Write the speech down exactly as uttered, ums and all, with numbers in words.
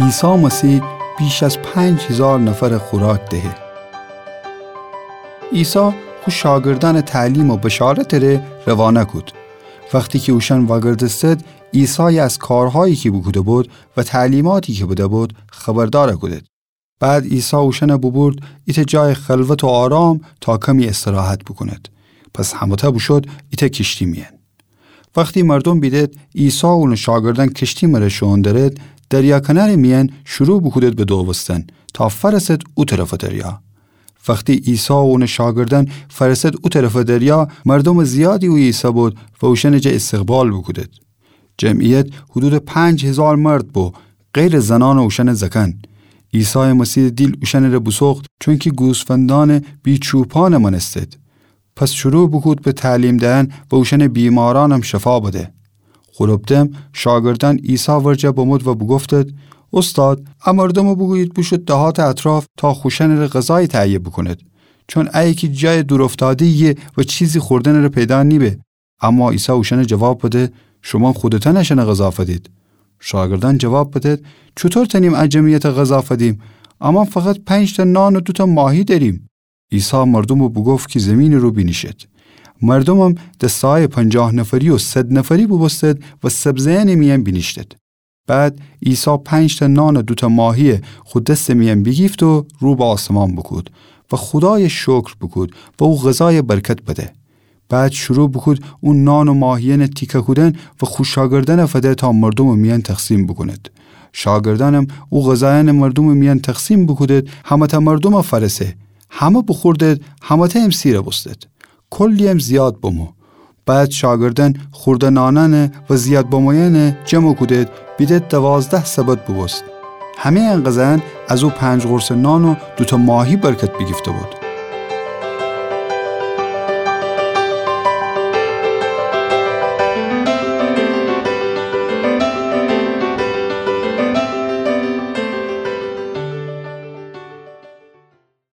عیسی مسیح بیش از پنج هیزار نفرَ خوراک دهه. عیسی خو شاگردأنَ تعلیم و بشارتٚ ره روانه کود. وختی کی اوشأن وأگردستد، عیسایَ از کارهایی کی بوکوده‌بود و تعلیماتی کی بده‌بود خبردار کودد. بعد عیسی اوشأنَ بوبورد ایتأ جایٚ خلوت و آرام تا کمی استراحت بوکوند. پس همه‌تأ بوشود ایتأ کیشتی میأن. وختی مردوم بیدد عیسی و اونٚ شاگردأن کیشتی مره شوئون درد، دریا کنارٚ میأن شروع بوکودد به دووستن تا فأرسد او طرفٚ دریا. وختی عیسی و اونٚ شاگردأن فأرسد او طرفٚ دریا، مردومٚ زیادی اویه ایسه‌بود و اوشأنٚ جا استقبال بوکودد. جمعیت حدودٚ پنج هیزار مرد بو، غیرٚ زنأن و اوشأنٚ زأکأن. عیسایٚ مسیحٚ دیل اوشأنٚ ره بوسوخت، چونکی گوسفندأنٚ بی‌چوپانَ مأنستد. پس شروع بوکود به تعلیم دئن و اوشأنٚ بیمارأنم شفا بده. خورم دم شاگردأن عیسی ورجه بمود و بوگفتد: اوستاد، ا مردومَ بوگویید بوشود دهاتٚ اطراف تا خوشأنٚ ره غذایی تهیه بوکوند، چون ایه کی جایٚ دورافتاده‌یی‌یه و چیزی خوردنٚ ره پیدا نیبه. اما عیسی اوشأنَ جواب بده: شومأن خودتأن اشأنَ غذا فدید. شاگردأن جواب بدد: چوطور تأنیم ا جمعیتَ غذا فدیم؟ امأن فقط پنج‌تأ نان و دوتأ ماهی دأریم. عیسی مردومَ بوگفت کی زیمینٚ رو بینیشید. مردومم دسته‌هایٚ پنجاه نفری و صد نفری بوبوستد و سبزه‌یأنٚ میأن بینیشتد. بعد عیسی پنج‌تأ نان و دوتأ ماهیَ خو دستٚ میأن بیگیفت و رو به آسمان بوکود و خودایَ شکر بوکود و او غذایَ برکت بده. بعد شروع بوکود او نان و ماهیأنَ تیکه کودن و خو شاگردأنَ فده تا مردومٚ میأن تقسیم بوکوند. شاگردأنم او غذایأنَ مردومٚ میأن تقسیم بوکودد، همه‌تأ مردومَ فأرسه. همه بوخوردد، همه‌تأیم سیرَ بوستد. کلی‌یم زیاد بمو. بعد شاگردأن خورده نانأنَ و زیاد بمویأنَ جمع کودد، بیدد دوازده سبد بوبوست. همه‌یٚ ان غذایأن از او پنج قرصٚ نان و دوتأ ماهی برکت بیگیفته‌بود.